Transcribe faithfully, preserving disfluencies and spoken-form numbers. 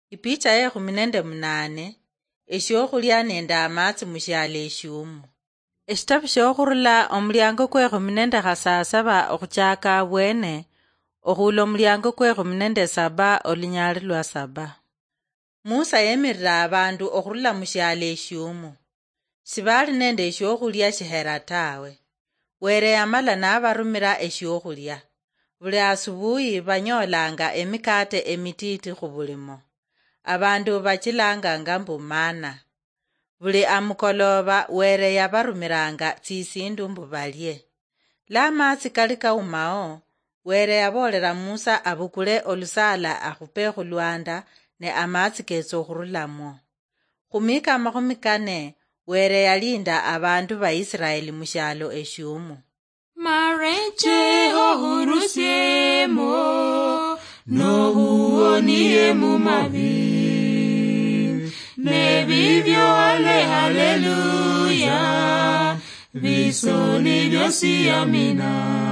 Ipicha yekhumi nende munane. Eshiokhulia nende amatsi mushialo eshiumu. Eshitabu shiokhurula omuliango kwekhumi nende khasasaba okhuchaka abwene, okhula omuliango kwekhumi nende saba olunyali lwa saba. Musa yemirira abandu okhurula mushialo eshiumu. Shibali nende eshiokhulia shihera tawe. Were yamala nabarumira eshiokhulia. Buli asubuhi banyoolanga emikaate emitiiti khubulimo. Abandu bachilanganga mbu mana. Buli amukoloba Were yabarumiranga tsisindu mbu balie. La amatsi kali kaumao, Were yaboolera Musa abukule olusaala akhupe khulwanda ne amatsi ketsa okhurulamwo. Khumika amakhumi kane, Were yalinda abandu ba Israeli mushialo eshiumu. Mareche ohurusiemo, nohuonie mumabi. Nebibyo ale haleluya, bisoni byosi amina.